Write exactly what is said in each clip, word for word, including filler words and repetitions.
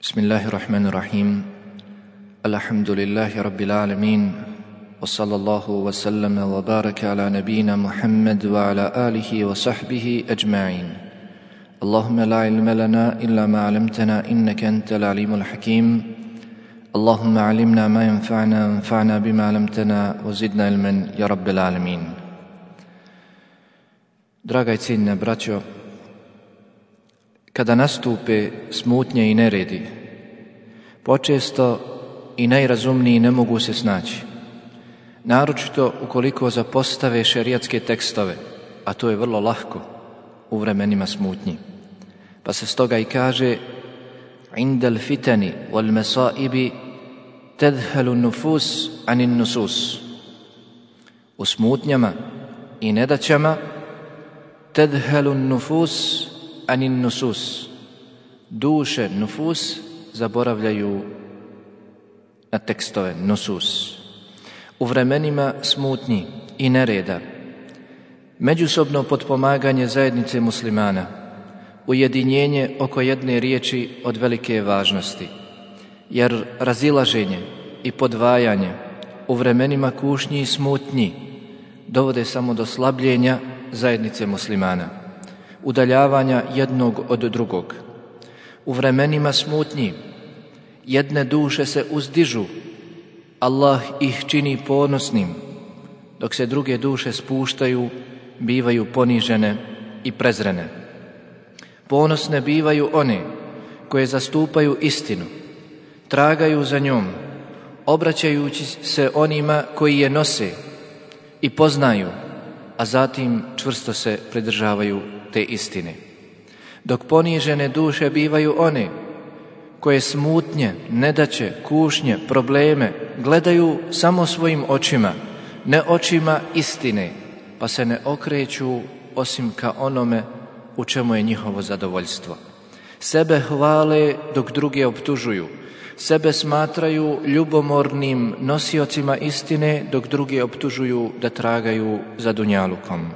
Bismillahirrahmanirrahim. Alhamdulillahi rabbil alamin. Wa sallallahu wa sallama wa baraka ala nabina Muhammad wa ala alihi wa sahbihi ajma'in. Allahumma la ilma lana illa ma 'allamtana innaka antal alimul hakim. Allahumma 'allimna ma yanfa'una wanfa'na bima 'allamtana wa zidna ilman ya rabbil alamin. Draga i cijenjena braćo, kada nastupe smutnje i neredi, počesto i najrazumniji ne mogu se snaći, naročito ukoliko zapostave šerijatske tekstove, a to je vrlo lahko u vremenima smutnji. Pa se stoga i kaže: indal fitani wal masaibi tadhalu nufus anin nusus. U smutnjama i nedaćama tadhalu nufus anin nusus. Duše, nufus, zaboravljaju na tekstove, nusus. U vremenima smutnji i nereda, međusobno potpomaganje zajednice muslimana, ujedinjenje oko jedne riječi od velike važnosti, jer razilaženje i podvajanje u vremenima kušnji i smutnji dovode samo do slabljenja zajednice muslimana, udaljavanja jednog od drugog. U vremenima smutnji jedne duše se uzdižu, Allah ih čini ponosnim, dok se druge duše spuštaju, bivaju ponižene i prezrene. Ponosne bivaju one koje zastupaju istinu, tragaju za njom, obraćajući se onima koji je nose i poznaju, a zatim čvrsto se pridržavaju te istine. Dok ponižene duše bivaju one koje smutnje, nedaće, kušnje, probleme gledaju samo svojim očima, ne očima istine, pa se ne okreću osim ka onome u čemu je njihovo zadovoljstvo. Sebe hvale dok druge optužuju, sebe smatraju ljubomornim nosiocima istine dok druge optužuju da tragaju za dunjalukom.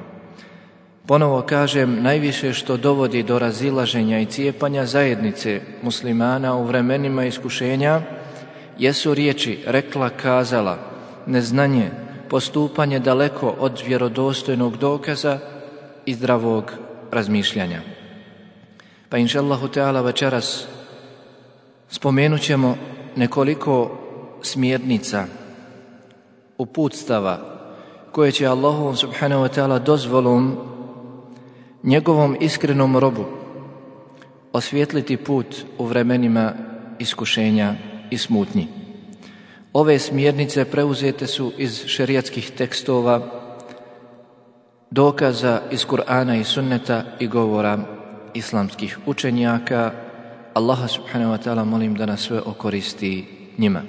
Ponovo kažem, najviše što dovodi do razilaženja i cijepanja zajednice muslimana u vremenima iskušenja jesu riječi rekla, kazala, neznanje, postupanje daleko od vjerodostojnog dokaza i zdravog razmišljanja. Pa inšallahu ta'ala večeras spomenut ćemo nekoliko smjernica, uputstava koje će Allahovom subhanahu wa ta'ala dozvolom njegovom iskrenom robu osvijetliti put u vremenima iskušenja i smutnji. Ove smjernice preuzete su iz šerijatskih tekstova, dokaza iz Kur'ana i sunneta i govora islamskih učenjaka. Allaha subhanahu wa ta'ala molim da nas sve okoristi njima.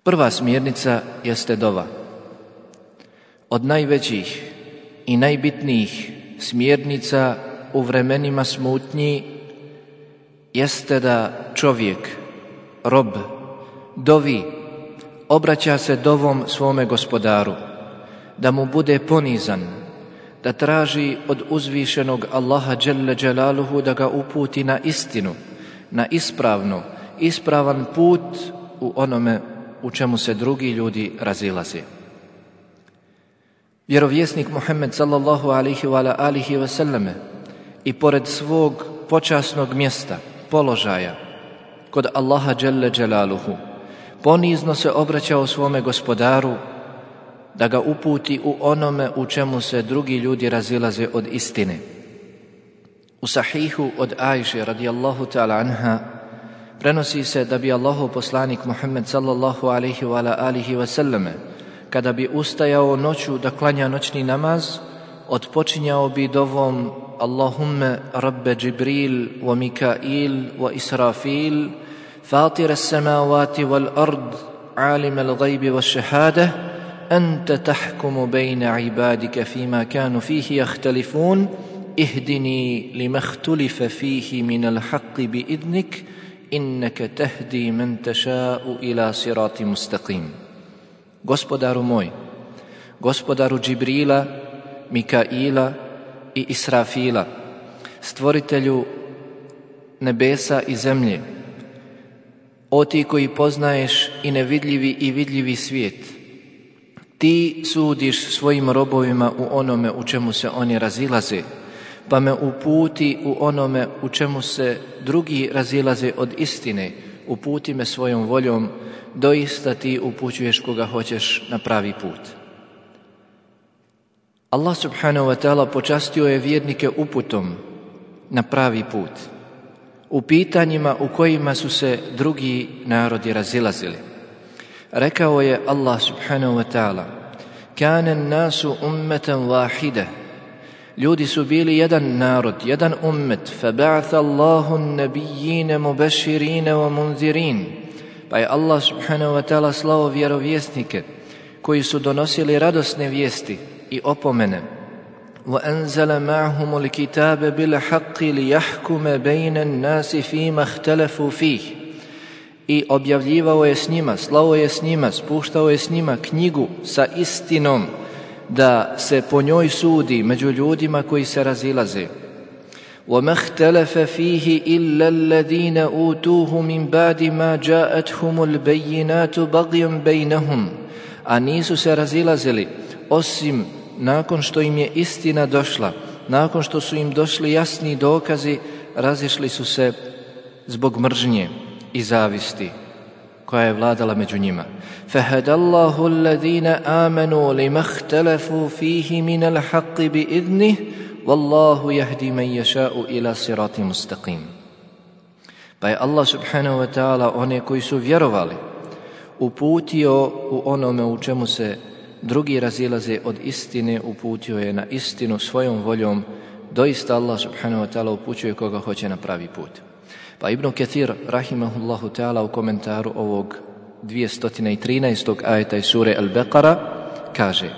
Prva smjernica jeste dova. Od najvećih i najbitnijih smjernica u vremenima smutnji jeste da čovjek, rob, dovi, obraća se dovom svome gospodaru, da mu bude ponizan, da traži od uzvišenog Allaha dželle dželaluhu da ga uputi na istinu, na ispravno, ispravan put u onome u čemu se drugi ljudi razilaze. Vjerovjesnik Muhammed sallallahu alaihi wa alihi wa sallame i pored svog počasnog mjesta, položaja kod Allaha dželle dželaluhu ponizno se obraćao svome gospodaru da ga uputi u onome u čemu se drugi ljudi razilaze od istine. U sahihu od Ajše radijallahu ta'ala anha prenosi se da bi Allahov poslanik Muhammed sallallahu alaihi wa alihi wa sallame kada bi ustajao noću da klanja noćni namaz, otpočinjao bi dovom Allahumme rabbe Džibril wa Mikail wa Israfil fatira samavati wal ard alima al-gajbi wa šehadah anta tahkumu bejna ibadika fima kanu fihi jahtalifun ihdini lima htulife fihi min al-haqqi bi idnik innaka tahdi man taša'u ila sirati mustaqim. Gospodaru moj, gospodaru Džibrila, Mikaila i Israfila, stvoritelju nebesa i zemlje, o ti koji poznaješ i nevidljivi i vidljivi svijet, ti sudiš svojim robovima u onome u čemu se oni razilaze, pa me uputi u onome u čemu se drugi razilaze od istine, uputi me svojom voljom, doista ti upućuješ koga hoćeš na pravi put. Allah subhanahu wa ta'ala počastio je vjernike uputom na pravi put, u pitanjima u kojima su se drugi narodi razilazili. Rekao je Allah subhanahu wa ta'ala: Kana an-nasu ummatan wahida. Ljudi su bili jedan narod, jedan ummet. Faba'atha Allahu an-nabiyyina mubashirina wa munzirin. Pa je Allah subhanahu wa ta'ala slao vjerovjesnike koji su donosili radosne vijesti i opomene. وَأَنزَلَ مَعْهُمُ الْكِتَابَ بِالْحَقِّ لِيَحْكُمَ بَيْنَ النَّاسِ فِيمَا اخْتَلَفُوا فِيهِ. I objavljivao je s njima, slao je s njima, spuštao je s njima knjigu sa istinom, da se po njoj sudi među ljudima koji se razilaze. وَمَا اخْتَلَفَ فِيهِ إِلَّا الَّذِينَ أُوتُوهُ مِنْ بَعْدِ مَا جَاءَتْهُمُ الْبَيِّنَاتُ بَغْيًا بَيْنَهُمْ. A nisu se razilazili osim nakon što im je istina došla, nakon što su im došli jasni dokazi, razišli su se zbog mržnje i zavisti koja je vladala među njima. فَهَدَ اللَّهُ الَّذِينَ آمَنُوا لِمَا اخْتَلَفُوا فِيهِ مِنَ الْحَقِّ بِإِذْنِهِ وَاللَّهُ يَهْدِي مَنْ يَشَاءُ إِلَى صِرَاطٍ مُسْتَقِيمٍ. Pa je Allah subhanahu wa ta'ala one koji su vjerovali uputio u onome u čemu se drugi razilaze od istine, uputio je na istinu svojom voljom. Doista Allah subhanahu wa ta'ala upućuje koga hoće na pravi put. Pa Ibn Kathir rahimahullahu ta'ala u komentaru ovog dvjesto trinaestog ajeta iz sure Al-Baqara kaže: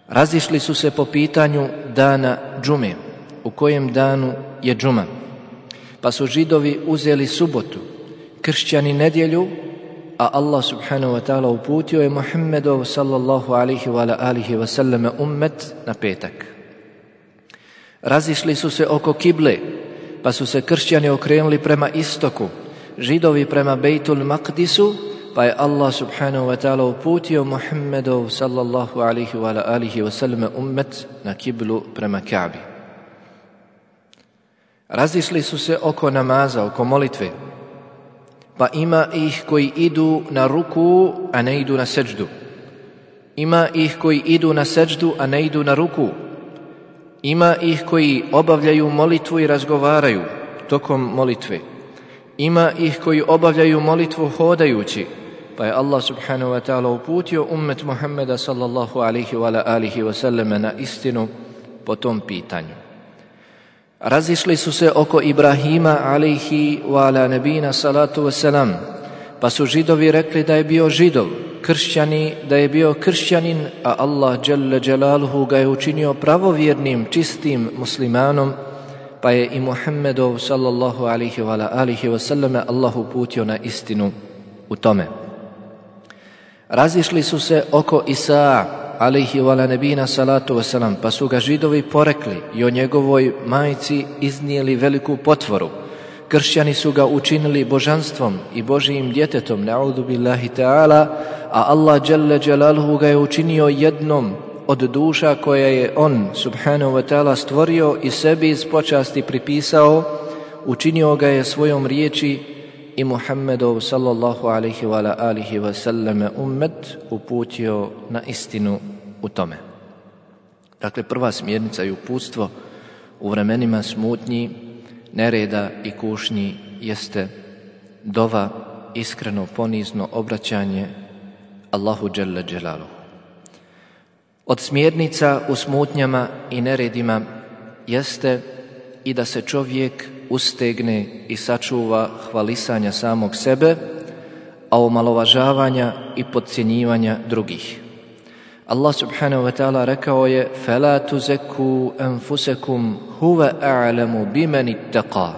razišli su se po pitanju dana džume, u kojem danu je džuma, pa su Židovi uzeli subotu, kršćani nedjelju, a Allah subhanahu wa ta'ala uputio je Muhammedov sallallahu alihi wa alihi wa sallam ummet na petak. Razišli su se oko kible, pa su se kršćani okrenuli prema istoku, Židovi prema Bejtul Maqdisu, pa je Allah subhanahu wa ta'ala uputio Muhammedov sallallahu alihi wa alihi wa sallam ummet na kiblu prema Ka'bi. Razišli su se oko namaza, oko molitve, pa ima ih koji idu na ruku, a ne idu na seđdu. Ima ih koji idu na seđdu, a ne idu na ruku. Ima ih koji obavljaju molitvu i razgovaraju tokom molitve. Ima ih koji obavljaju molitvu hodajući, pa je Allah subhanahu wa ta'ala uputio ummet Muhammeda sallallahu alihi wa alihi wa sallam na istinu po tom pitanju. Razišli su se oko Ibrahima alihi wa ala nebina salatu wasalam, pa su Židovi rekli da je bio Židov, kršćani da je bio kršćanin, a Allah dželle dželaluhu ga je učinio pravovjernim, čistim muslimanom, pa je i Muhammedov sallallahu alihi wa alihi wa sallam Allah uputio na istinu u tome. Razišli su se oko Isaa alihi wa nebina salatu wasalam, pa su ga Židovi porekli i o njegovoj majci iznijeli veliku potvoru. Kršćani su ga učinili božanstvom i Božijim djetetom, na'udhu billahi ta'ala, a Allah dželle dželaluhu ga je učinio jednom od duša koje je on subhanahu wa ta'ala stvorio i sebi iz počasti pripisao, učinio ga je svojom riječi i Muhammedov sallallahu alihi wa alihi wa sallam ummet uputio na istinu u tome. Dakle, prva smjernica i uputstvo u vremenima smutnji, nereda i kušnji jeste dova, iskreno, ponizno obraćanje Allahu dželle dželaluhu. Od smjernica u smutnjama i neredima jeste i da se čovjek ustegne i sačuva hvalisanja samog sebe, a omalovažavanja i podcjenjivanja drugih. Allah subhanahu wa ta'ala rekao je: فَلَا تُزَكُّوا أَنفُسَكُمْ هُوَ أَعْلَمُ بِمَنِ اتَّقَى.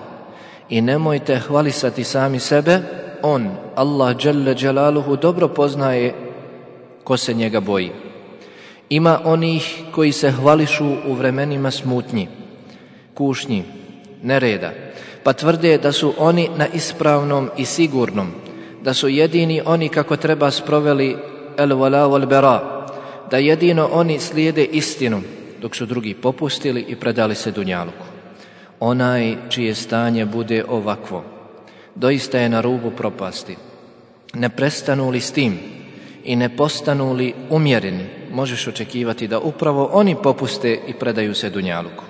I nemojte hvalisati sami sebe, on, Allah dželle dželaluhu, dobro poznaje ko se njega boji. Ima onih koji se hvališu u vremenima smutnji, kušnji, nereda, pa tvrde da su oni na ispravnom i sigurnom, da su jedini oni kako treba sproveli el wala wal bara, da jedino oni slijede istinu, dok su drugi popustili i predali se dunjaluku. Onaj čije stanje bude ovakvo, doista je na rubu propasti. Ne prestanu li s tim i ne postanu li umjereni, možeš očekivati da upravo oni popuste i predaju se dunjaluku.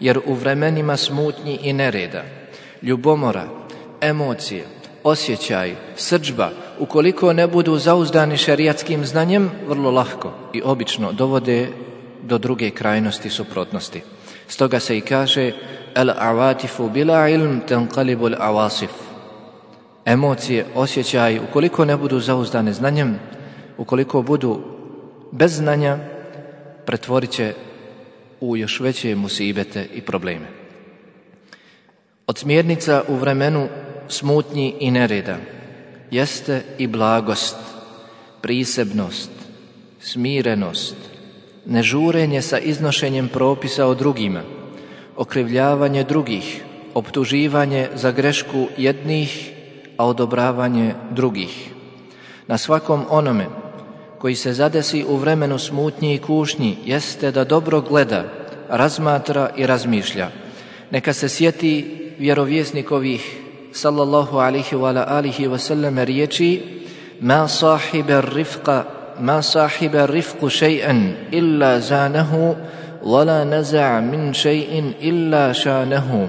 Jer u vremenima smutnji i nereda, ljubomora, emocije, osjećaj, srdžba, ukoliko ne budu zauzdani šerijatskim znanjem, vrlo lahko i obično dovode do druge krajnosti suprotnosti. Stoga se i kaže el avatifu bila ilm tenqalibu al awasif. Emocije, osjećaj, ukoliko ne budu zauzdane znanjem, ukoliko budu bez znanja, pretvorit će u još veće musibete i probleme. Od smjernica u vremenu smutnji i nereda jeste i blagost, prisebnost, smirenost, nežurenje sa iznošenjem propisa o drugima, okrivljavanje drugih, optuživanje za grešku jednih, a odobravanje drugih. Na svakom onome koji se zadesi u vremenu smutnji i kušnji jeste da dobro gleda, razmatra i razmišlja. Neka se sjeti vjerovjesnikovih sallallahu alihi wa alihi wa sallam riječi: ma sahiba rifqa ma sahiba rifqu shay'an illa zanahu wala naza'a min shay'in illa shanahu.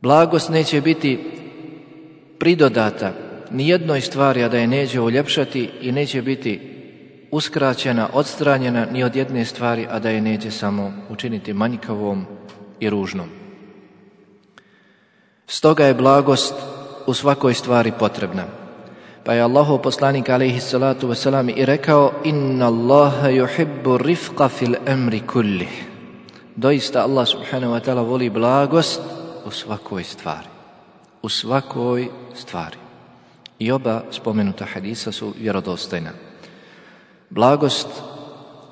Blagost neće biti pridodata ni jednoj stvari, a da je neće uljepšati, i neće biti uskraćena, odstranjena ni od jedne stvari, a da je neće samo učiniti manjkavom i ružnom. Stoga je blagost u svakoj stvari potrebna. Pa je Allahov poslanik alejhi salatu vesselam i rekao: inna Allaha yuhibbu rifqa fil amri kullih. Doista Allah subhanahu wa ta'ala voli blagost u svakoj stvari. U svakoj stvari. I oba spomenuta hadisa su vjerodostojna. Blagost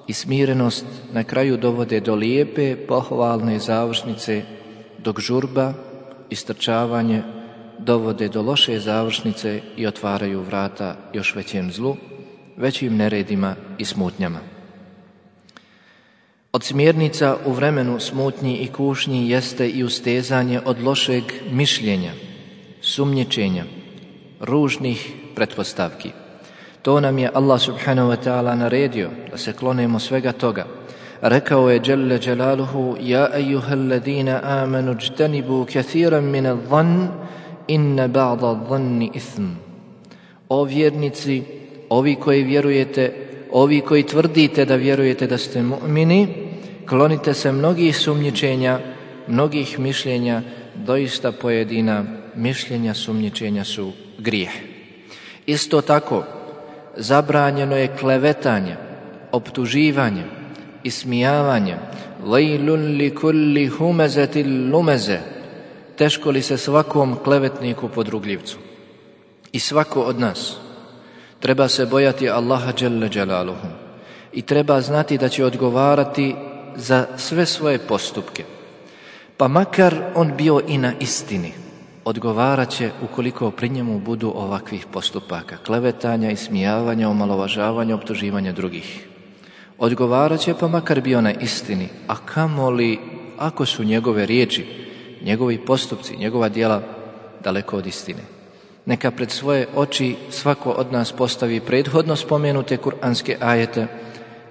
i smirenost na kraju dovode do lijepe, pohvalne završnice, dok žurba i strčavanje dovode do loše završnice i otvaraju vrata još većem zlu, većim neredima i smutnjama. Od smjernica u vremenu smutnji i kušnji jeste i ustezanje od lošeg mišljenja, sumnjičenja, ružnih pretpostavki. To nam je Allah subhanahu wa ta'ala naredio, da se klonemo svega toga. Rekao je Jalla Jalaluhu: ja ejuhel ladina amanu jtanibu kathiran min al-dhann inna ba'da al-dhanni ithm. O vjernici, ovi koji vjerujete, ovi koji tvrdite da vjerujete da ste mu'mini, klonite se mnogih sumnjičenja, mnogih mišljenja, doista pojedina mišljenja, sumnjičenja su grijeh. Isto tako, zabranjeno je klevetanje, optuživanje, ismijavanje. Vejlun li kulli humezetil lumeze. Teško li se svakom klevetniku podrugljivcu. I svako od nas treba se bojati Allaha dželle dželaluhu i treba znati da će odgovarati za sve svoje postupke. Pa makar on bio i na istini, odgovarat će ukoliko pri njemu budu ovakvih postupaka, klevetanja, ismijavanja, omalovažavanja, optuživanja drugih. Odgovarat će pa makar bio na istini, a kamoli ako su njegove riječi, njegovi postupci, njegova djela daleko od istine. Neka pred svoje oči svako od nas postavi prethodno spomenute kuranske ajete,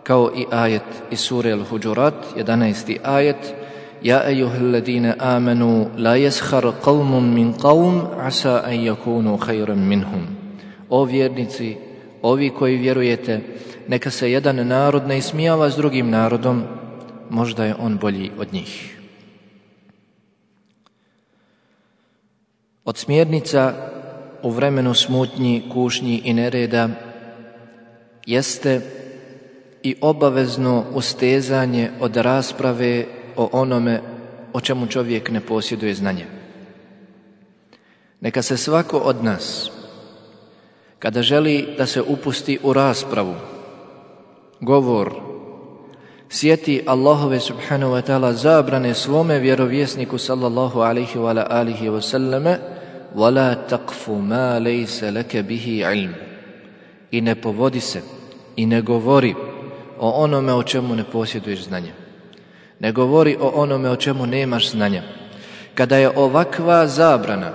kao i ajet iz sure Al-Huđurat, jedanaesti ajet: ja ejuhel ladina amanu la yaskhar qawmun min qawm asa an yakunu khayran minhum. O vjernici, ovi koji vjerujete, neka se jedan narod ne ismijava s drugim narodom, možda je on bolji od njih. Od smjernica u vremenu smutnji, kušnji i nereda jeste i obavezno ustezanje od rasprave o onome o čemu čovjek ne posjeduje znanje. Neka se svako od nas, kada želi da se upusti u raspravu, govor, sjeti Allahove subhanahu wa ta'ala zabrane svome vjerovjesniku sallallahu alaihi wa alihi wa sallame وَلَا تَقْفُ مَا لَيْسَ لَكَ بِهِ عِلْمُ. I ne povodi se i ne govori o onome o čemu ne posjeduješ znanja. Ne govori o onome o čemu nemaš znanja. Kada je ovakva zabrana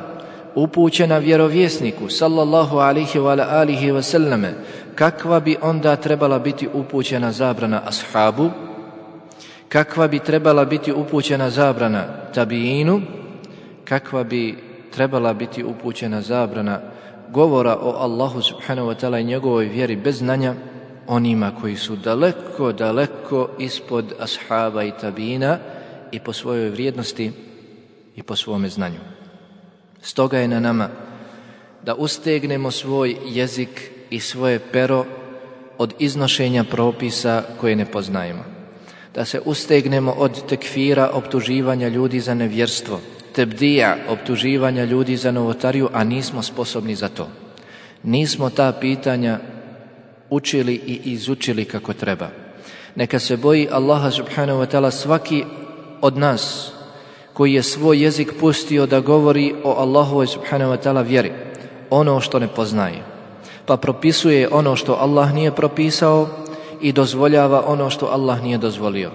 upućena vjerovjesniku sallallahu alaihi wa alihi wa sallame, kakva bi onda trebala biti upućena zabrana ashabu? Kakva bi trebala biti upućena zabrana tabiinu? Kakva bi trebala biti upućena zabrana govora o Allahu subhanahu wa ta'ala i njegovoj vjeri bez znanja onima koji su daleko, daleko ispod ashaba i tabiina i po svojoj vrijednosti i po svome znanju. Stoga je na nama da ustegnemo svoj jezik i svoje pero od iznošenja propisa koje ne poznajemo. Da se ustegnemo od tekfira, optuživanja ljudi za nevjerstvo, tebdija, optuživanja ljudi za novotariju, a nismo sposobni za to. Nismo ta pitanja učili i izučili kako treba. Neka se boji Allaha subhanahu wa ta'ala svaki od nas koji je svoj jezik pustio da govori o Allahovoj subhanahu wa ta'ala vjeri, ono što ne poznaje, pa propisuje ono što Allah nije propisao i dozvoljava ono što Allah nije dozvolio.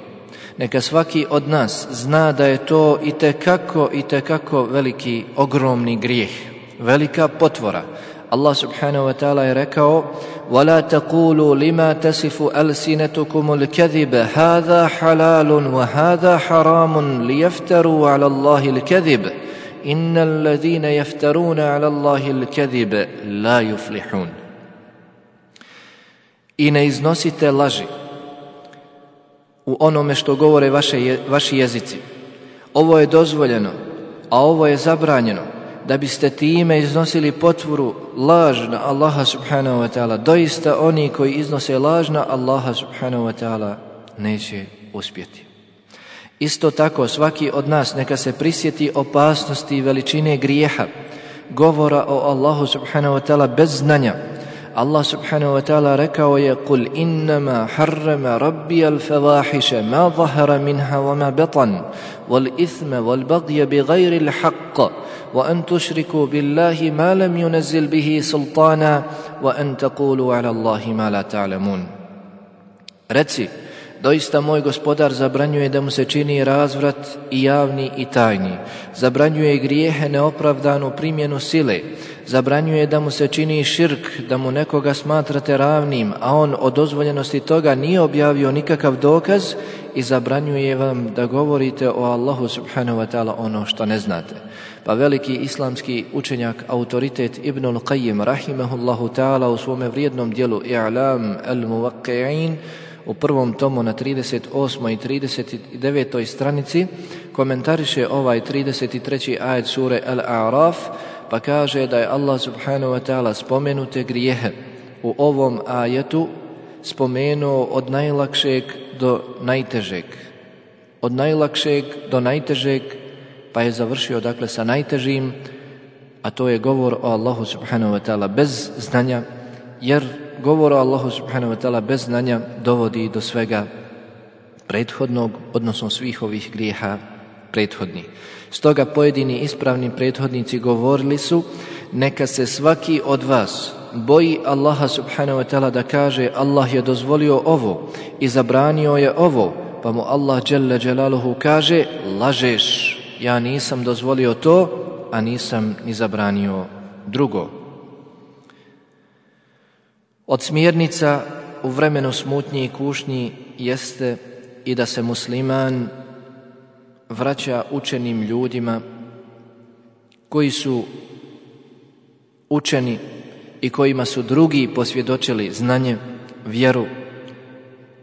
Neka svaki od nas zna da je to itekako, itekako veliki, ogromni grijeh, velika potvora. Allah subhanahu wa ta'ala je rekao: وَلَا تَقُولُوا لِمَا تَسِفُ أَلْسِنَتُكُمُ الْكَذِبَ هَذَا حَلَالٌ وَهَذَا حَرَامٌ لِيَفْتَرُوا عَلَى اللَّهِ الْكَذِبَ إِنَّ الَّذِينَ يَفْتَرُونَ عَلَى اللَّهِ الْكَذِبَ لَا يُفْلِحُونَ. I ne iznosite laži u onome što govore vaše, vaši jezici. Ovo je dozvoljeno, a ovo je zabranjeno, da biste time iznosili potvoru laž na Allaha subhanahu wa ta'ala. Doista oni koji iznose laž na Allaha subhanahu wa ta'ala neće uspjeti. Isto tako svaki od nas neka se prisjeti opasnosti i veličine grijeha, govora o Allahu subhanahu wa ta'ala bez znanja. Allah subhanahu wa ta'ala rekao je: قُلْ إِنَّمَا حَرَّمَ رَبِّيَ الْفَوَاحِشَ مَا ظَهَرَ مِنْهَا وَمَا بَطَنَ وَالْإِثْمَ وَالْبَغْيَ بِغَيْرِ الْحَقِّ وَأَنْ تُشْرِكُوا بِاللَّهِ مَا لَمْ يُنَزِّلْ بِهِ سُلْطَانًا وَأَنْ تَقُولُوا عَلَى اللَّهِ مَا لَا تَعْلَمُونَ. Reci, doista moj gospodar zabranjuje da mu se čini razvrat i javni i tajni, zabranjuje grijehe, neopravdanu primjenu sile, zabranjuje da mu se čini širk, da mu nekoga smatrate ravnim, a on o dozvoljenosti toga nije objavio nikakav dokaz, i zabranjuje vam da govorite o Allahu subhanahu wa ta'ala ono što ne znate. Pa veliki islamski učenjak, autoritet Ibnul Qayyim rahimahullahu ta'ala u svome vrijednom dijelu I'lam al-Muwaqqi'in u prvom tomu na trideset osmoj i trideset devetoj stranici komentariše ovaj trideset treći ajet sure Al-A'raf, pa kaže da je Allah subhanahu wa ta'ala spomenute grijehe u ovom ajetu spomenuo od najlakšeg do najtežeg. Od najlakšeg do najtežeg, pa je završio dakle sa najtežim, a to je govor o Allahu subhanahu wa ta'ala bez znanja, jer govor o Allahu subhanahu wa ta'ala bez znanja dovodi do svega prethodnog, odnosno svih ovih grijeha prethodnih. Stoga pojedini ispravni prethodnici govorili su: neka se svaki od vas boji Allaha subhanahu wa ta'ala da kaže: Allah je dozvolio ovo i zabranio je ovo, pa mu Allah dželle dželaluhu kaže: lažeš, ja nisam dozvolio to, a nisam ni zabranio drugo. Od smjernica u vremenu smutnji i kušnji jeste i da se musliman vraća učenim ljudima koji su učeni i kojima su drugi posvjedočili znanje, vjeru,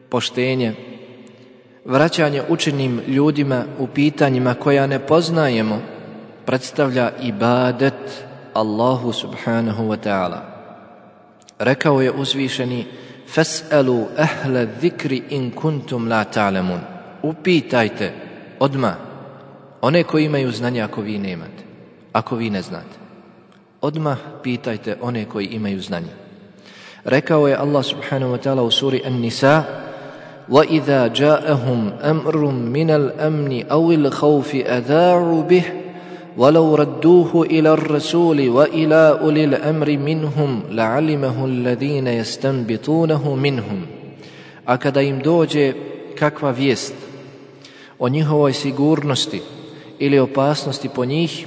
poštenje. Vraćanje učenim ljudima u pitanjima koja ne poznajemo predstavlja ibadet Allahu subhanahu wa ta'ala. Rekao je uzvišeni: Fas'alu ahla dhikri in kuntum la ta'lamun. Upitajte odmah one koji imaju znanje ako vi nemate, ako vi ne znate. Odmah pitajte one koji imaju znanje. Rekao je Allah subhanahu wa ta'ala u suri An-Nisa: وَإِذَا جَاءَهُمْ أَمْرٌ مِّنَ الْأَمْنِ أَوِ الْخَوْفِ أَذَاعُوا بِهِ وَلَوْ رَدُّوهُ إِلَى الرَّسُولِ وَإِلَى أُولِي الْأَمْرِ مِنْهُمْ لَعَلِمَهُ الَّذِينَ يَسْتَنبِطُونَهُ مِنْهُمْ. A kada im dođe kakva vijest o njihovoj sigurnosti ili opasnosti po njih,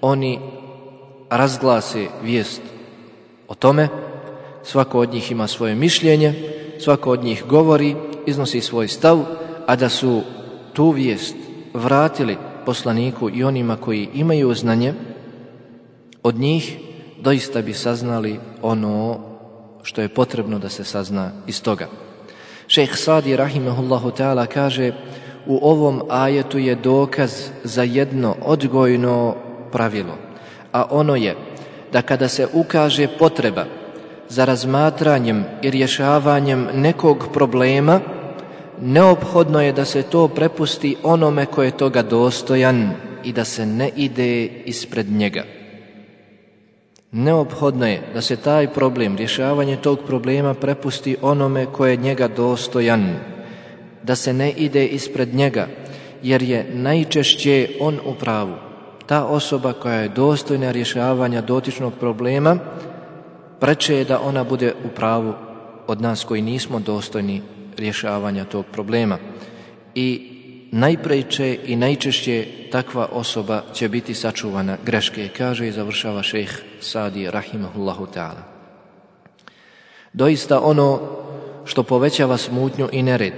oni razglase vijest o tome, svako od njih ima svoje mišljenje, svako od njih govori, iznosi svoj stav, a da su tu vijest vratili poslaniku i onima koji imaju znanje od njih, doista bi saznali ono što je potrebno da se sazna iz toga. Šejh Sadi rahimehullahu ta'ala kaže: u ovom ajetu je dokaz za jedno odgojno pravilo, a ono je da kada se ukaže potreba za razmatranjem i rješavanjem nekog problema, neophodno je da se to prepusti onome ko je toga dostojan i da se ne ide ispred njega. Neophodno je da se taj problem, rješavanje tog problema prepusti onome ko je njega dostojan, da se ne ide ispred njega, jer je najčešće on u pravu. Ta osoba koja je dostojna rješavanja dotičnog problema, preče je da ona bude u pravu od nas koji nismo dostojni rješavanja tog problema. I najpreče i najčešće takva osoba će biti sačuvana greške, kaže i završava šejh Sadi rahimahullahu ta'ala. Doista ono što povećava smutnju i nered,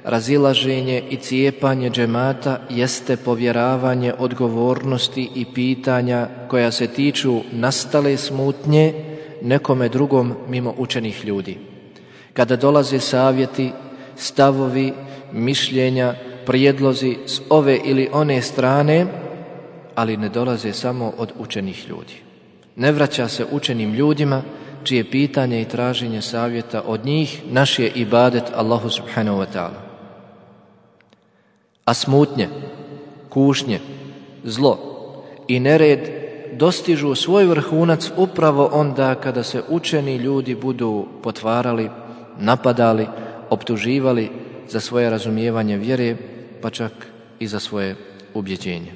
razilaženje i cijepanje džemata jeste povjeravanje odgovornosti i pitanja koja se tiču nastale smutnje nekome drugom mimo učenih ljudi. Kada dolaze savjeti, stavovi, mišljenja, prijedlozi s ove ili one strane, ali ne dolaze samo od učenih ljudi. Ne vraća se učenim ljudima čije pitanje i traženje savjeta od njih naš je ibadet Allahu subhanahu wa ta'ala. A smutnje, kušnje, zlo i nered dostižu svoj vrhunac upravo onda kada se učeni ljudi budu potvarali, napadali, optuživali za svoje razumijevanje vjere, pa čak i za svoje ubjeđenje.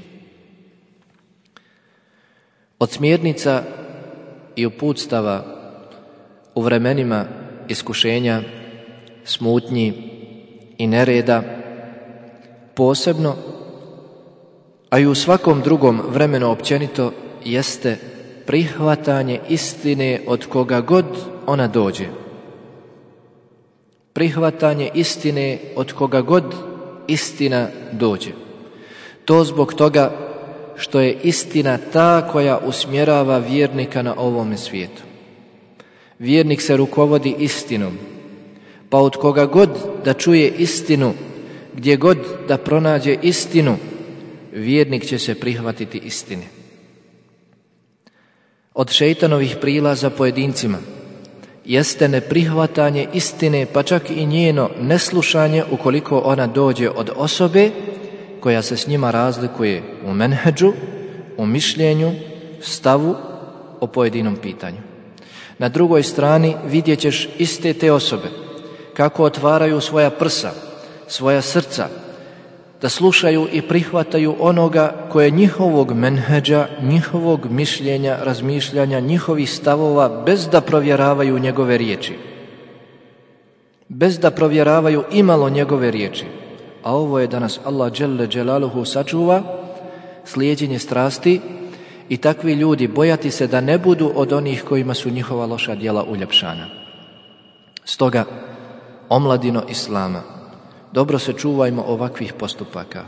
Od smjernica i uputstava u vremenima iskušenja, smutnji i nereda, posebno, a i u svakom drugom vremenu općenito, jeste prihvatanje istine od koga god ona dođe. Prihvatanje istine od koga god istina dođe. To zbog toga što je istina ta koja usmjerava vjernika na ovome svijetu. Vjernik se rukovodi istinom, pa od koga god da čuje istinu, gdje god da pronađe istinu, vjernik će se prihvatiti istine. Od šejtanovih prilaza pojedincima jeste neprihvatanje istine, pa čak i njeno neslušanje ukoliko ona dođe od osobe koja se s njima razlikuje u menhedžu, u mišljenju, stavu o pojedinom pitanju. Na drugoj strani vidjet ćeš iste te osobe kako otvaraju svoja prsa, svoja srca, da slušaju i prihvataju onoga koje njihovog menhedža, njihovog mišljenja, razmišljanja, njihovih stavova, bez da provjeravaju njegove riječi. Bez da provjeravaju imalo njegove riječi. A ovo je danas Allah dželle dželaluhu sačuva, slijeđenje strasti, i takvi ljudi bojati se da ne budu od onih kojima su njihova loša djela uljepšana. Stoga, omladino Islama, dobro se čuvajmo ovakvih postupaka.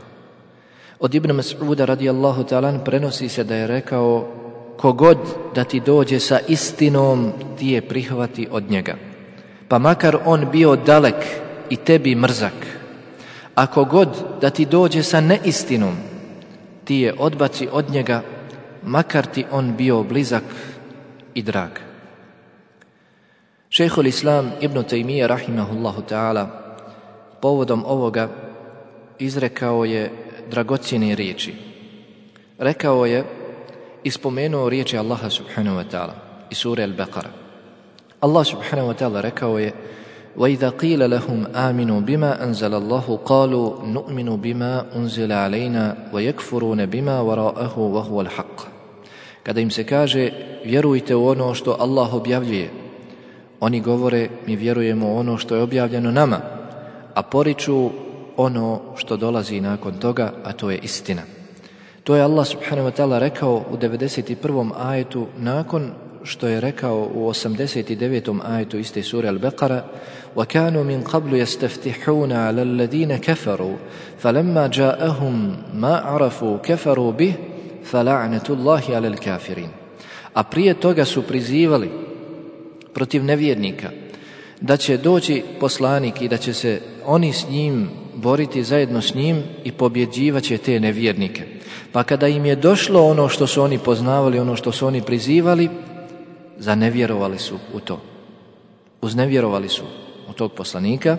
Od Ibn Mas'uda radijallahu ta'ala prenosi se da je rekao: kogod da ti dođe sa istinom, ti je prihvati od njega, pa makar on bio dalek i tebi mrzak. A kogod da ti dođe sa neistinom, ti je odbaci od njega, makar ti on bio blizak i drag. Šejhul Islam Ibn Tejmije rahimahullahu ta'ala povodom ovoga izrekao je dragocjene riječi. Rekao je i spomenuo riječi Allaha subhanahu wa ta'ala iz sure Al-Baqara. Allah subhanahu wa ta'ala rekao je: وَإِذَا قِيلَ لَهُمْ آمِنُوا بِمَا أَنزَلَ اللَّهُ قَالُوا نُؤْمِنُ بِمَا أُنزِلَ عَلَيْنَا وَيَكْفُرُونَ بِمَا وَرَاءَهُ وَهُوَ الْحَقُّ. Kada im se kaže vjerujte u ono što Allah objavljuje, oni govore mi vjerujemo u ono što je objavljeno nama, a poriču ono što dolazi nakon toga, a to je istina. To je Allah subhanahu wa ta'ala rekao u devedeset prvom ajetu nakon što je rekao u osamdeset devetom ajetu iste sure Al-Baqara وَكَانُوا مِنْ قَبْلُ يَسْتَفْتِحُونَ عَلَى الَّذِينَ كَفَرُوا فَلَمَّا جَاءَهُمْ مَا عَرَفُوا كَفَرُوا بِهِ فَلَعْنَةُ اللَّهِ عَلَى الْكَافِرِينَ. A prije toga su prizivali protiv nevjernika da će doći poslanik i da će se oni s njim boriti zajedno s njim i pobjeđivaće te nevjernike. Pa kada im je došlo ono što su oni poznavali, ono što su oni prizivali, zanevjerovali su u to. Uznevjerovali su u tog poslanika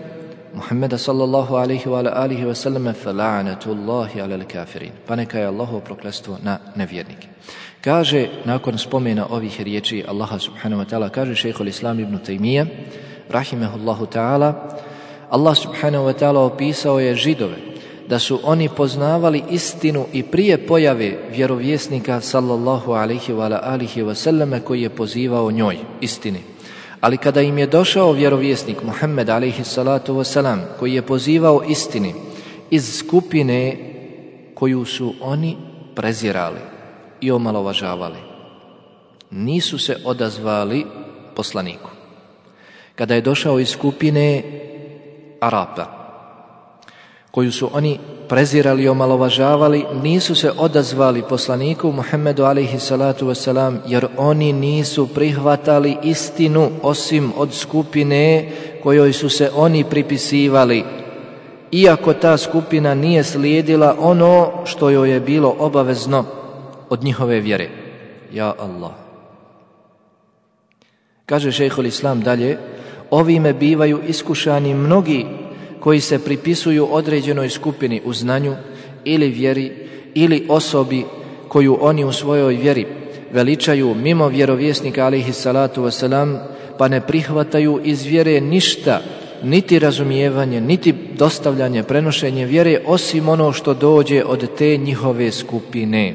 Muhammeda sallallahu alaihi wa alihi wa sallam fala'natullahi ala al-kafirin. Pa neka je Allahovo prokletstvo na nevjernike. Kaže, nakon spomena ovih riječi Allaha subhanahu wa ta'ala, kaže šejhul Islam ibn Tejmija rahimehullahu ta'ala, Allah subhanahu wa ta'ala opisao je Židove da su oni poznavali istinu i prije pojave vjerovjesnika sallallahu alaihi wa alihi wa sallam koji je pozivao njoj istini. Ali kada im je došao vjerovjesnik Muhammed alaihi salatu wasalam koji je pozivao istini iz skupine koju su oni prezirali i omalovažavali, nisu se odazvali poslaniku. Kada je došao iz skupine Arapa koju su oni prezirali i omalovažavali, nisu se odazvali poslaniku Muhammedu alaihi salatu wasalam, jer oni nisu prihvatali istinu osim od skupine kojoj su se oni pripisivali, iako ta skupina nije slijedila ono što joj je bilo obavezno od njihove vjere. Ja Allah. Kaže šejhul Islam dalje, ovime bivaju iskušani mnogi koji se pripisuju određenoj skupini u znanju ili vjeri ili osobi koju oni u svojoj vjeri veličaju mimo vjerovjesnika alejhi salatu vesselam, pa ne prihvataju iz vjere ništa, niti razumijevanje, niti dostavljanje, prenošenje vjere, osim ono što dođe od te njihove skupine.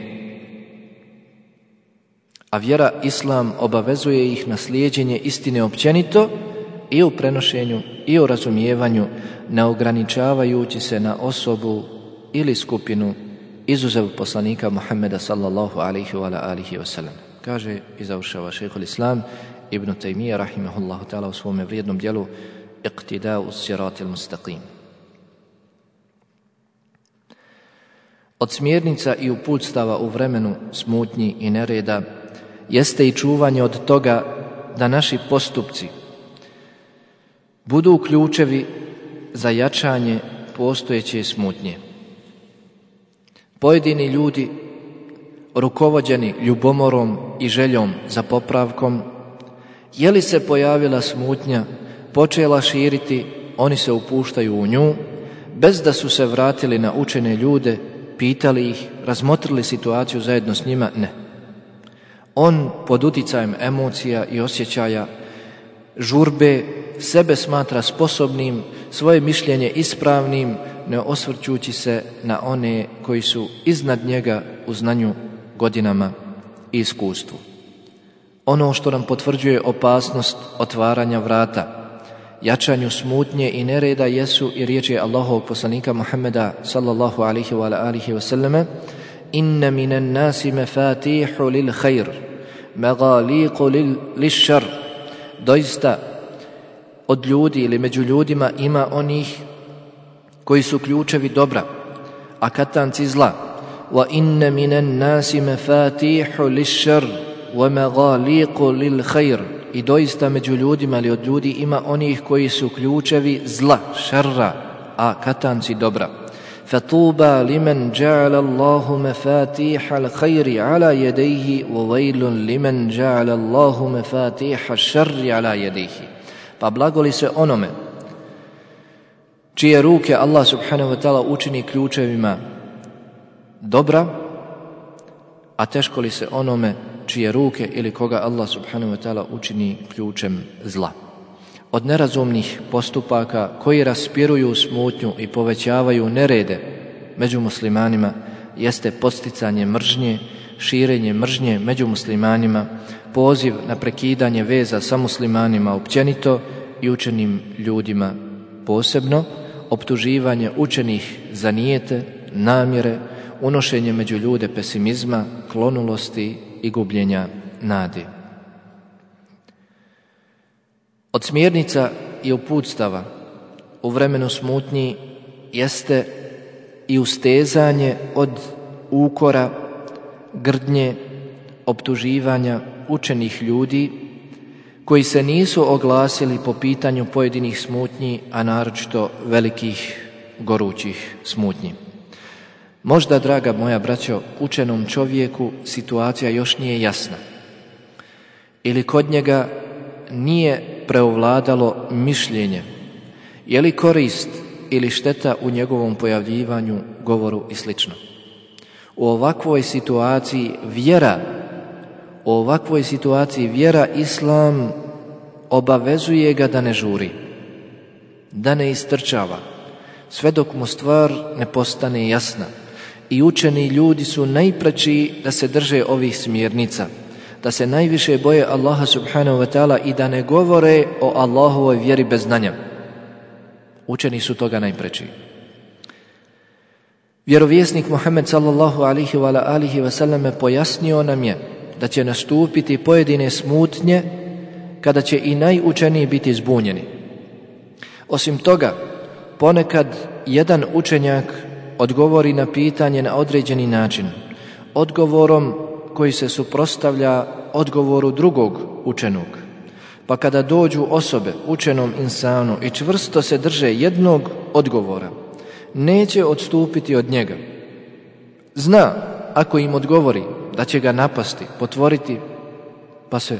A vjera Islam obavezuje ih na slijeđenje istine općenito i u prenošenju i u razumijevanju, ne ograničavajući se na osobu ili skupinu, izuzev poslanika Muhammeda sallallahu alaihi wa alihi wa sallam. Kaže i završava šejhul Islam ibn Tejmija rahimahullahu ta'ala u svome vrijednom djelu Iqtida'u siratil mustaqim. Od smjernica i uputstava u vremenu smutnji i nereda jeste i čuvanje od toga da naši postupci budu ključevi za jačanje postojeće smutnje. Pojedini ljudi, rukovođeni ljubomorom i željom za popravkom, je li se pojavila smutnja, počela širiti, oni se upuštaju u nju, bez da su se vratili na učene ljude, pitali ih, razmotrili situaciju zajedno s njima, ne. On pod uticajem emocija i osjećaja, žurbe, sebe smatra sposobnim, svoje mišljenje ispravnim, ne osvrćući se na one koji su iznad njega u znanju, godinama i iskustvu. Ono što nam potvrđuje opasnost otvaranja vrata jačanju smutnje i nereda jesu i riječi Allahovog poslanika Muhammeda sallallahu alaihi wa alihi wa sallame: inna minan nasi mafatihu lil khair magaliqu lil šar. Doista od ljudi ili među ljudima ima onih koji su ključevi dobra, a katanci zla. Wa inna minan nasi mafatihu lil šar wa magaliqu lil khair. I doista među ljudima ili od ljudi ima onih koji su ključevi zla, šarra, a katanci dobra. Fatuba liman ja'ala Allahu mafatiha al-khairi ala yadayhi wa waylun liman ja'ala Allahu mafatiha ash-sharri ala yadayhi. Pa blagoli se onome čije ruke Allah subhanahu wa ta'ala učini ključevima dobra, a teško li se onome čije ruke ili koga Allah subhanahu wa ta'ala učini ključem zla. od nerazumnih postupaka koji raspiruju smutnju i povećavaju nerede među muslimanima jeste podsticanje mržnje, širenje mržnje među muslimanima, poziv na prekidanje veza sa muslimanima općenito i učenim ljudima posebno, optuživanje učenih za nijete, namjere, unošenje među ljude pesimizma, klonulosti i gubljenja nade. Od smjernica i uputstava u vremenu smutnji jeste i ustezanje od ukora, grdnje, optuživanja učenih ljudi koji se nisu oglasili po pitanju pojedinih smutnji, a naročito velikih gorućih smutnji. Možda, draga moja braćo, učenom čovjeku situacija još nije jasna ili kod njega nije preovladalo mišljenje, je li korist ili šteta u njegovom pojavljivanju, govoru i sl. U ovakvoj situaciji vjera, u ovakvoj situaciji vjera Islam obavezuje ga da ne žuri, da ne istrčava, sve dok mu stvar ne postane jasna. I učeni ljudi su najpreči da se drže ovih smjernica, da se najviše boje Allaha subhanahu wa ta'ala i da ne govore o Allahovoj vjeri bez znanja. Učeni su toga najpreči. Vjerovjesnik Muhammed sallallahu alihi wa alihi wa sallam pojasnio nam je da će nastupiti pojedine smutnje kada će i najučeniji biti zbunjeni. Osim toga, ponekad jedan učenjak odgovori na pitanje na određeni način, odgovorom koji se suprotstavlja odgovoru drugog učenog. Pa kada dođu osobe učenom insanu i čvrsto se drže jednog odgovora, neće odstupiti od njega. Zna, ako im odgovori, da će ga napasti, potvoriti, pa se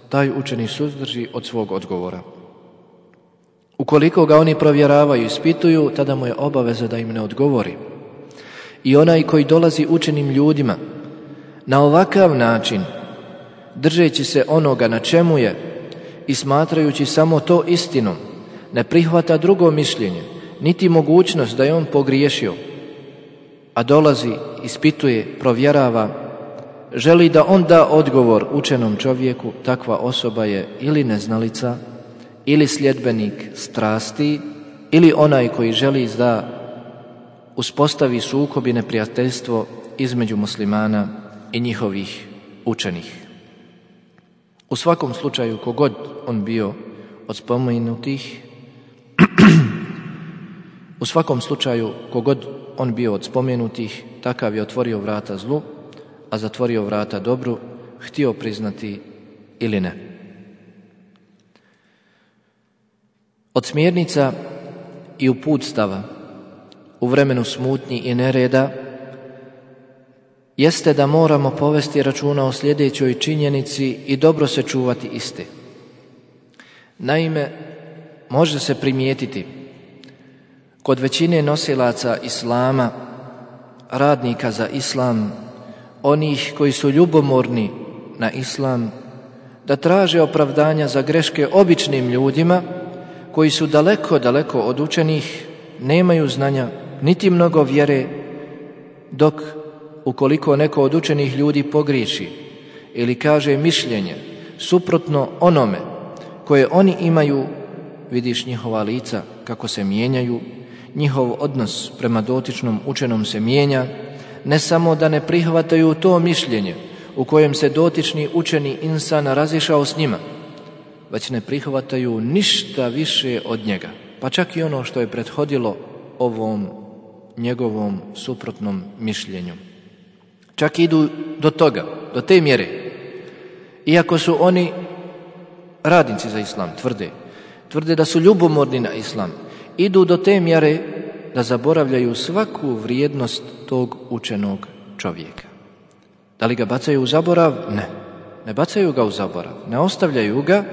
taj učeni suzdrži od svog odgovora. Ukoliko ga oni provjeravaju i ispituju, tada mu je obaveza da im ne odgovori. I onaj koji dolazi učenim ljudima na ovakav način, držeći se onoga na čemu je i smatrajući samo to istinom, ne prihvata drugo mišljenje, niti mogućnost da je on pogriješio, a dolazi, ispituje, provjerava, želi da on da odgovor učenom čovjeku, takva osoba je ili neznalica, ili sljedbenik strasti, ili onaj koji želi da uspostavi sukob i neprijateljstvo između muslimana i njihovih učenih. U svakom slučaju, kogod on bio od spomenutih, u svakom slučaju, kogod on bio od spomenutih, takav je otvorio vrata zlu, a zatvorio vrata dobru, htio priznati ili ne. Od smjernica i uputstava u vremenu smutnji i nereda jeste da moramo povesti računa o sljedećoj činjenici i dobro se čuvati iste. Naime, može se primijetiti kod većine nosilaca islama, radnika za islam, onih koji su ljubomorni na islam, da traže opravdanja za greške običnim ljudima koji su daleko, daleko od učenih, nemaju znanja, niti mnogo vjere, dok ukoliko neko od učenih ljudi pogriješi ili kaže mišljenje suprotno onome koje oni imaju, vidiš njihova lica kako se mijenjaju, njihov odnos prema dotičnom učenom se mijenja, ne samo da ne prihvataju to mišljenje u kojem se dotični učeni insan razišao s njima, već ne prihvataju ništa više od njega, pa čak i ono što je prethodilo ovom njegovom suprotnom mišljenju. Čak idu do toga, do te mjere, iako su oni radnici za islam, tvrde, tvrde da su ljubomorni na islam, idu do te mjere da zaboravljaju svaku vrijednost tog učenog čovjeka. Da li ga bacaju u zaborav? Ne. Ne bacaju ga u zaborav, ne ostavljaju ga,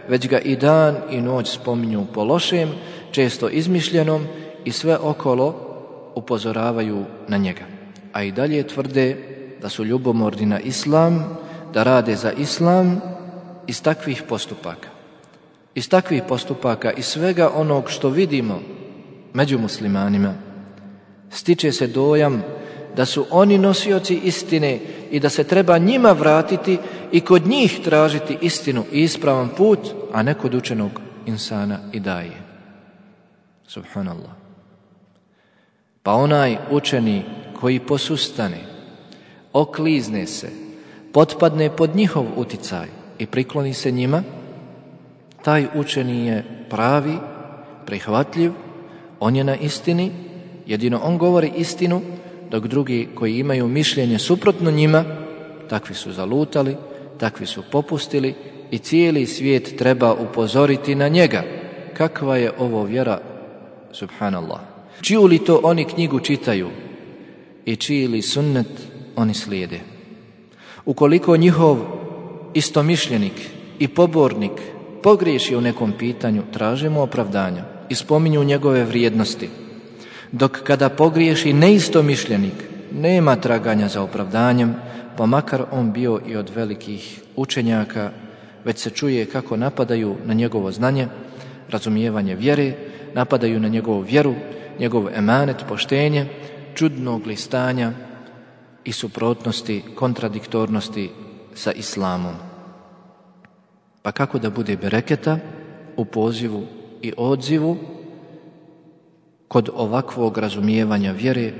već ga i dan i noć spominju po lošem, često izmišljenom, i sve okolo upozoravaju na njega. A i dalje tvrde da su ljubomorni na islam, da rade za islam iz takvih postupaka. Iz takvih postupaka i svega onog što vidimo među muslimanima, stiče se dojam da su oni nosioci istine i da se treba njima vratiti i kod njih tražiti istinu i ispravan put, a ne kod učenog insana i daje. Subhanallah. Pa onaj učeni koji posustane, oklizne se, potpadne pod njihov uticaj i prikloni se njima, taj učeni je pravi, prihvatljiv, on je na istini, jedino on govori istinu, dok drugi koji imaju mišljenje suprotno njima, takvi su zalutali, takvi su popustili i cijeli svijet treba upozoriti na njega. Kakva je ovo vjera, subhanallah. Čiju li to oni knjigu čitaju i čiji li sunnet oni slijede? Ukoliko njihov istomišljenik i pobornik pogriješi u nekom pitanju, tražimo opravdanja i spominju njegove vrijednosti. Dok kada pogriješi neistomišljenik, nema traganja za opravdanjem, pa makar on bio i od velikih učenjaka, već se čuje kako napadaju na njegovo znanje, razumijevanje vjere, napadaju na njegovu vjeru, njegov emanet, poštenje, čudnog listanja i suprotnosti, kontradiktornosti sa islamom. Pa kako da bude bereketa u pozivu i odzivu kod ovakvog razumijevanja vjere,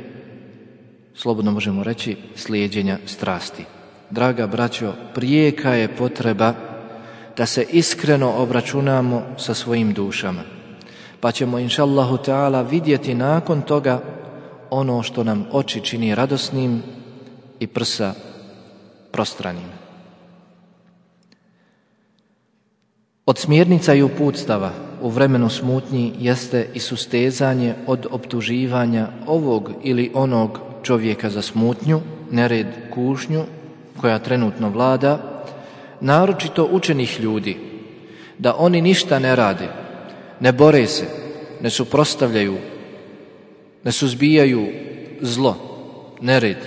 slobodno možemo reći slijeđenja strasti. Draga braćo, prijeka je potreba da se iskreno obračunamo sa svojim dušama, pa ćemo inšallahu ta'ala vidjeti nakon toga ono što nam oči čini radosnim i prsa prostranim. Od smjernica i uputstava u vremenu smutnji jeste i sustezanje od optuživanja ovog ili onog čovjeka za smutnju, nered, kušnju koja trenutno vlada, naročito učenih ljudi, da oni ništa ne rade, ne bore se, ne suprotstavljaju, ne suzbijaju zlo, nered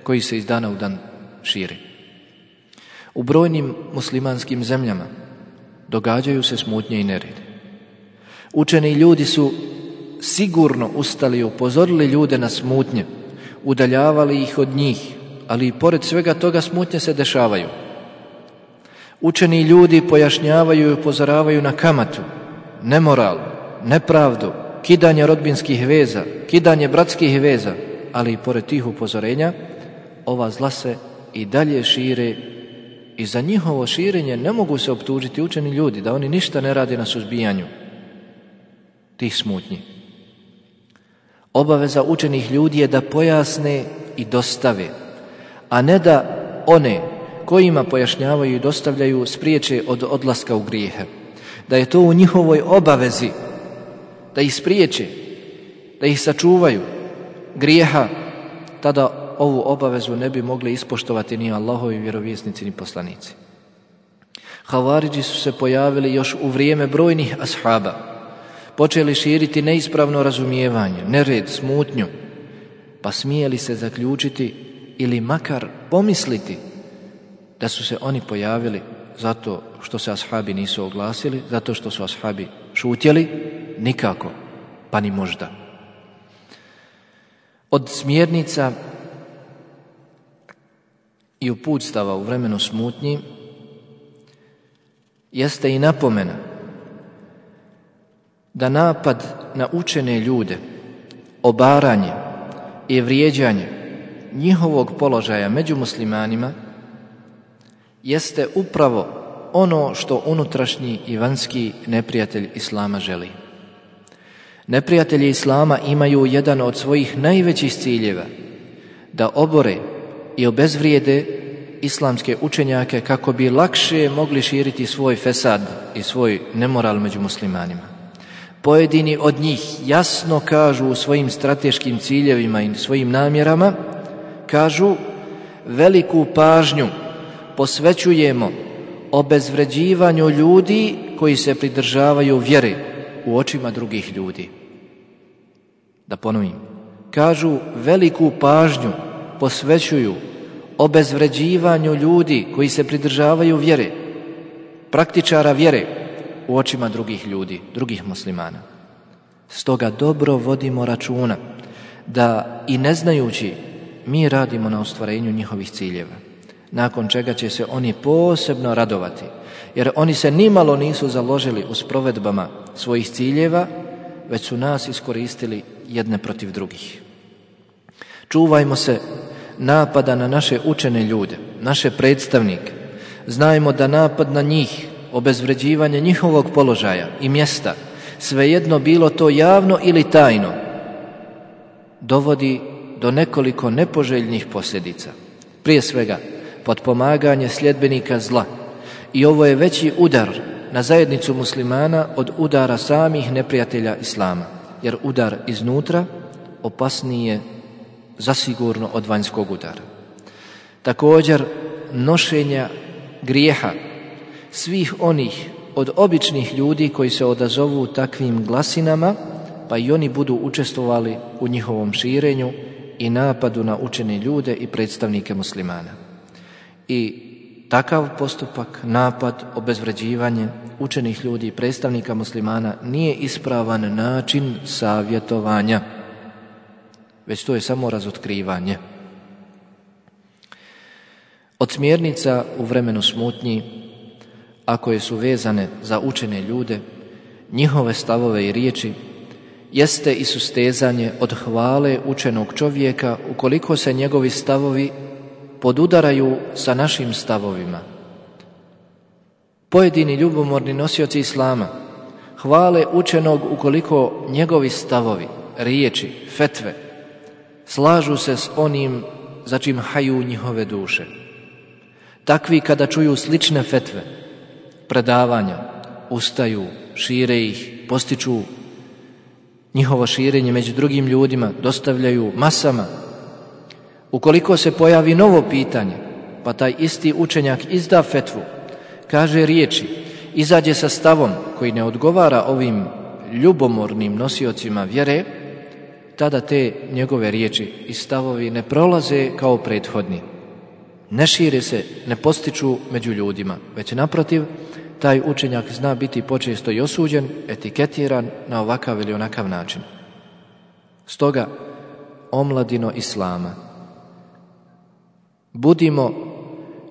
koji se iz dana u dan širi. U brojnim muslimanskim zemljama događaju se smutnje i nered. Učeni ljudi su sigurno ustali i upozorili ljude na smutnje, udaljavali ih od njih, ali i pored svega toga smutnje se dešavaju. Učeni ljudi pojašnjavaju i upozoravaju na kamatu, nemoral, nepravdu, kidanje rodbinskih veza, kidanje bratskih veza, ali i pored tih upozorenja, ova zla se i dalje šire i za njihovo širenje ne mogu se optužiti učeni ljudi da oni ništa ne rade na suzbijanju tih smutnji. Obaveza učenih ljudi je da pojasne i dostave, a ne da one kojima pojašnjavaju i dostavljaju spriječe od odlaska u grijehe. Da je to u njihovoj obavezi da ih spriječe, da ih sačuvaju grijeha, tada ovu obavezu ne bi mogli ispoštovati ni Allahovi vjerovjesnici ni poslanici. Havaridži su se pojavili još u vrijeme brojnih ashaba, počeli širiti neispravno razumijevanje, nered, smutnju, pa smijeli se zaključiti ili makar pomisliti da su se oni pojavili zato što se ashabi nisu oglasili, zato što su ashabi šutjeli, nikako, pa ni možda. Od smjernica i uputstava u vremenu smutnji jeste i napomena da napad na učene ljude, obaranje i vrijeđanje njihovog položaja među muslimanima jeste upravo ono što unutrašnji i vanjski neprijatelj Islama želi. Neprijatelji Islama imaju jedan od svojih najvećih ciljeva da obore i obezvrijede islamske učenjake kako bi lakše mogli širiti svoj fesad i svoj nemoral među muslimanima. Pojedini od njih jasno kažu u svojim strateškim ciljevima i svojim namjerama, kažu veliku pažnju posvećujemo obezvređivanju ljudi koji se pridržavaju vjere u očima drugih ljudi. Da ponovim, kažu veliku pažnju posvećuju obezvređivanju ljudi koji se pridržavaju vjere, praktičara vjere u očima drugih ljudi, drugih muslimana. Stoga dobro vodimo računa da i ne znajući mi radimo na ostvarenju njihovih ciljeva, nakon čega će se oni posebno radovati, jer oni se nimalo nisu založili u sprovedbama svojih ciljeva, već su nas iskoristili jedne protiv drugih. Čuvajmo se napada na naše učene ljude, naše predstavnike. Znajmo da napad na njih, obezvređivanje njihovog položaja i mjesta, svejedno bilo to javno ili tajno, dovodi do nekoliko nepoželjnih posljedica. Prije svega, potpomaganje sljedbenika zla. I ovo je veći udar na zajednicu muslimana od udara samih neprijatelja islama, jer udar iznutra opasniji je zasigurno od vanjskog udara. Također, nošenja grijeha svih onih od običnih ljudi koji se odazovu takvim glasinama, pa i oni budu učestvovali u njihovom širenju i napadu na učene ljude i predstavnike muslimana. I takav postupak, napad, obezvređivanje učenih ljudi i predstavnika muslimana nije ispravan način savjetovanja, već to je samo razotkrivanje. Od smjernica u vremenu smutnji, a koje su vezane za učene ljude, njihove stavove i riječi, jeste i sustezanje od hvale učenog čovjeka ukoliko se njegovi stavovi podudaraju sa našim stavovima. Pojedini ljubomorni nosioci islama hvale učenog ukoliko njegovi stavovi, riječi, fetve slažu se s onim za čim haju njihove duše. Takvi kada čuju slične fetve, predavanja, ustaju, šire ih, postiču njihovo širenje među drugim ljudima, dostavljaju masama. Ukoliko se pojavi novo pitanje, pa taj isti učenjak izda fetvu, kaže riječi, izađe sa stavom koji ne odgovara ovim ljubomornim nosiocima vjere, tada te njegove riječi i stavovi ne prolaze kao prethodni. Ne šire se, ne postiču među ljudima, već naprotiv, taj učenjak zna biti počesto i osuđen, etiketiran na ovakav ili onakav način. Stoga, omladino islama, budimo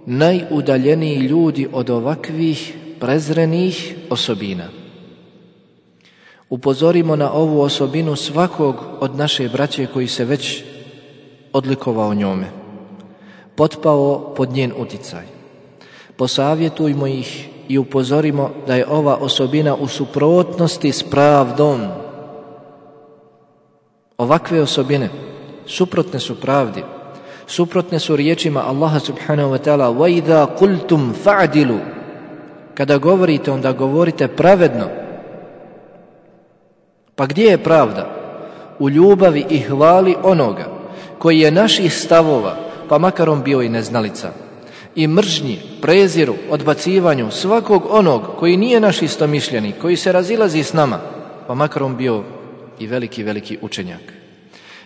najudaljeniji ljudi od ovakvih prezrenih osobina. Upozorimo na ovu osobinu svakog od naše braće koji se već odlikovao njome, potpao pod njen uticaj. Posavjetujmo ih i upozorimo da je ova osobina u suprotnosti s pravdom. Ovakve osobine suprotne su pravdi, suprotne su riječima Allaha subhanahu wa ta'ala وَإِذَا قُلْتُمْ فَعْدِلُوا. Kada govorite, onda govorite pravedno. Pa gdje je pravda? U ljubavi i hvali onoga koji je naših stavova, pa makar on bio i neznalica, i mržnji, preziru, odbacivanju svakog onog koji nije naš istomišljenik, koji se razilazi s nama, pa makar on bio i veliki, veliki učenjak.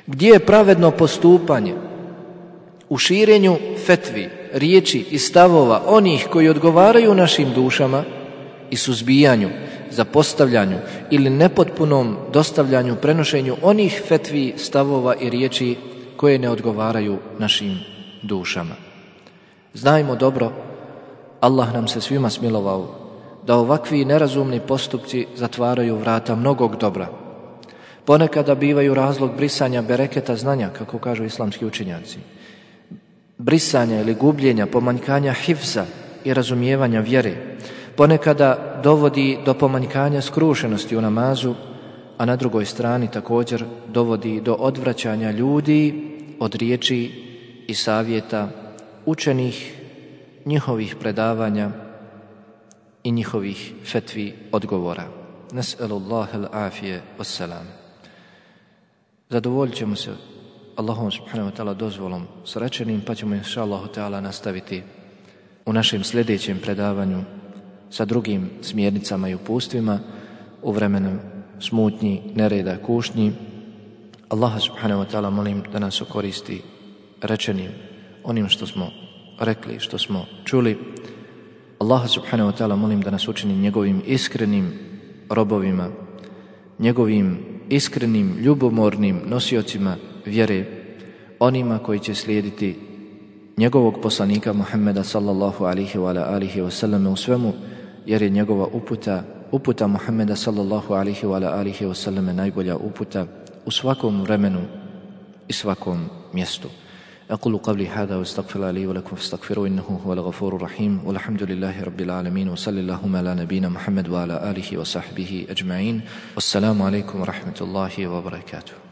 Gdje je pravedno postupanje? U širenju fetvi, riječi i stavova onih koji odgovaraju našim dušama i suzbijanju, zapostavljanju ili nepotpunom dostavljanju, prenošenju onih fetvi, stavova i riječi koje ne odgovaraju našim dušama. Znajmo dobro, Allah nam se svima smilovao da ovakvi nerazumni postupci zatvaraju vrata mnogog dobra. Ponekada bivaju razlog brisanja bereketa znanja, kako kažu islamski učenjaci. Brisanja ili gubljenja, pomanjkanja hifza i razumijevanja vjere. Ponekada dovodi do pomanjkanja skrušenosti u namazu, a na drugoj strani također dovodi do odvraćanja ljudi od riječi i savjeta učenih, njihovih predavanja i njihovih fetvi odgovora. Nes'alullahi al-afije wassalam. Zadovoljit ćemo se Allahom subhanahu wa ta'ala dozvolom s rečenim, pa ćemo inša Allahu ta'ala nastaviti u našem sljedećem predavanju sa drugim smjernicama i upustvima u vremenu smutnji, nereda, kušnji. Allaha subhanahu wa ta'ala molim da nas okoristi rečenim, onim što smo rekli, što smo čuli. Allaha subhanahu wa ta'ala molim da nas učini njegovim iskrenim robovima, njegovim iskrenim, ljubomornim nosiocima vjere, onima koji će slijediti njegovog poslanika Muhammeda sallallahu alihi wa alihi wa sallam u svemu, jer je njegova uputa, uputa Muhammeda sallallahu alihi wa alihi wa sallam najbolja uputa u svakom vremenu i svakom mjestu. أقول قولي هذا واستغفر الله لي ولكم فاستغفروه إنه هو الغفور الرحيم والحمد لله رب العالمين وصلى اللهم على نبينا محمد وعلى آله وصحبه أجمعين والسلام عليكم ورحمة الله وبركاته.